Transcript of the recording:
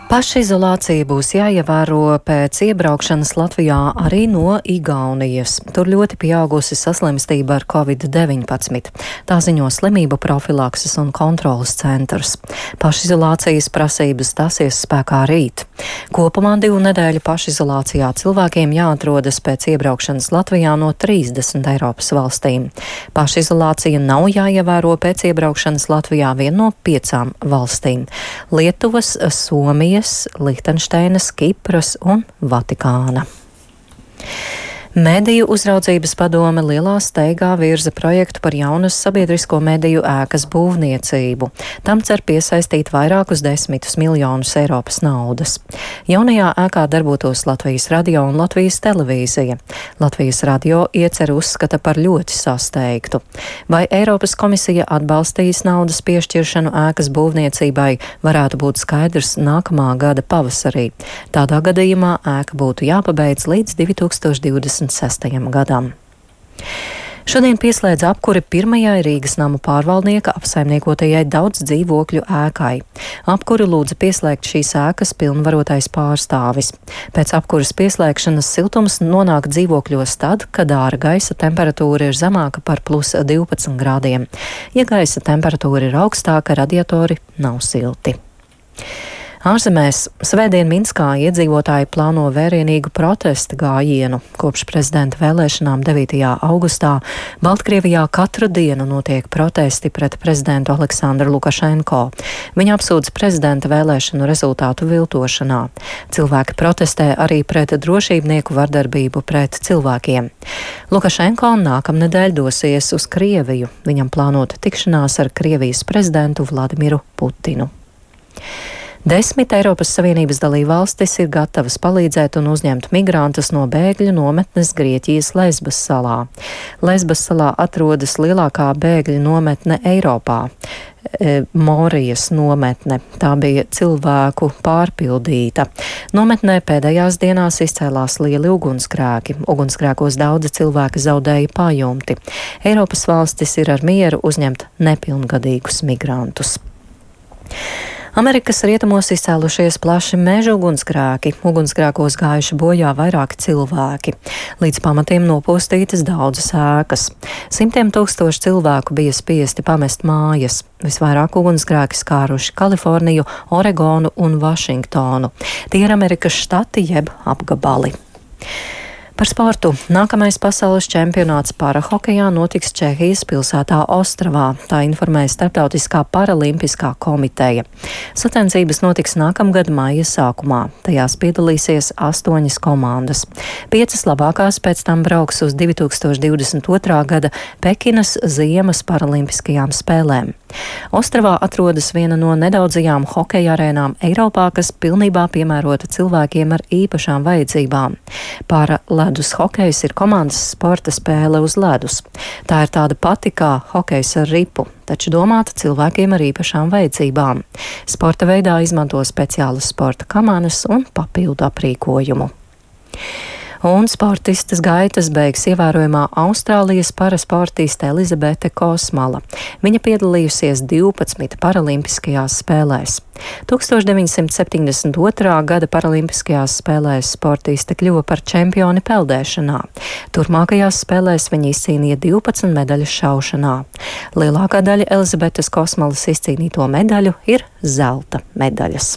Pašizolācija būs jāievēro pēc iebraukšanas Latvijā arī no Igaunijas. Tur ļoti pieaugusi saslimstība ar Covid-19. Tā ziņo Slimību profilakses un kontrolas centrs. Pašizolācijas prasības stāsies spēkā rīt. Kopumā 2 nedēļu pašizolācijā cilvēkiem jāatrodas pēc iebraukšanas Latvijā no 30 Eiropas valstīm. Pašizolācija nav jāievēro pēc iebraukšanas Latvijā vien no 5 valstīm - Lietuvas, Somijas, Lihtenšteinas, Kipras un Vatikāna. Mediju uzraudzības padome lielā steigā virza projektu par jaunas sabiedrisko mediju ēkas būvniecību. Tam cer piesaistīt vairākus 10 miljonus Eiropas naudas. Jaunajā ēkā darbotos Latvijas radio un Latvijas televīzija. Latvijas radio ieceru uzskata par ļoti sasteigtu. Vai Eiropas komisija atbalstīs naudas piešķiršanu ēkas būvniecībai, varētu būt skaidrs nākamā gada pavasarī. Tādā gadījumā ēka būtu jāpabeidz līdz 2026. gadam. Šodien pieslēdz apkuri pirmajai Rīgas namu pārvaldnieka apsaimniekotajai daudz dzīvokļu ēkai. Apkuri lūdza pieslēgt šīs ēkas pilnvarotais pārstāvis. Pēc apkuras pieslēgšanas siltums nonāk dzīvokļos tad, kad ārā gaisa temperatūra ir zemāka par +12 grādiem. Ja gaisa temperatūra ir augstāka, radiatori nav silti. Ārzemēs svētdien Minskā iedzīvotāji plāno vērienīgu protesta gājienu. Kopš prezidenta vēlēšanām 9. augustā Baltkrievijā katru dienu notiek protesti pret prezidentu Aleksandru Lukašenko. Viņa apsūdz prezidenta vēlēšanu rezultātu viltošanā. Cilvēki protestē arī pret drošībnieku vardarbību pret cilvēkiem. Lukašenko nākamnedēļ dosies uz Krieviju. Viņam plānota tikšanās ar Krievijas prezidentu Vladimiru Putinu. 10 Eiropas Savienības dalībvalstis ir gatavas palīdzēt un uzņemt migrantus no bēgļu nometnes Grieķijas Lesbas salā. Lesbas salā atrodas lielākā bēgļu nometne Eiropā. Morijas nometne. Tā bija cilvēku pārpildīta. Nometnē pēdējās dienās izcēlās lieli ugunsgrēki. Ugunsgrēkos daudzi cilvēki zaudēja pajumti. Eiropas valstis ir ar mieru uzņemt nepilngadīgus migrantus. Amerikas rietumos izcēlušies plaši meža ugunsgrēki. Ugunsgrēkos gājuši bojā vairāki cilvēki. Līdz pamatiem nopostītas daudzas ēkas. Simtiem tūkstoši cilvēku bija spiesti pamest mājas. Visvairāk ugunsgrēki skāruši Kaliforniju, Oregonu un Vašingtonu. Tie ir Amerikas štati jeb apgabali. Par sportu. Nākamais pasaules čempionāts parahokejā notiks Čehijas pilsētā Ostravā. Tā informēja Starptautiskā paralimpiskā komiteja. Sacensības notiks nākamgad maija sākumā. Tajās piedalīsies 8 komandas. 5 labākās pēc tam brauks uz 2022. gada Pekinas ziemas paralimpiskajām spēlēm. Ostravā atrodas viena no nedaudzajām hokeja arēnām Eiropā, kas pilnībā piemērota cilvēkiem ar īpašām vajadzībām. Ledus hokejs ir komandas sporta spēle uz ledus. Tā ir tāda pati kā hokejs ar ripu, taču domāta cilvēkiem ar īpašām vajadzībām. Sporta veidā izmanto speciālas sporta kamanas un papildu aprīkojumu. Un sportistas gaitas beigs ievērojamā Austrālijas parasportiste Elizabete Kosmala. Viņa piedalījusies 12 paralimpiskajās spēlēs. 1972. gada paralimpiskajās spēlēs sportiste kļuva par čempioni peldēšanā. Turmākajās spēlēs viņa izcīnīja 12 medaļas šaušanā. Lielākā daļa Elizabetes Kosmalas izcīnīto medaļu ir zelta medaļas.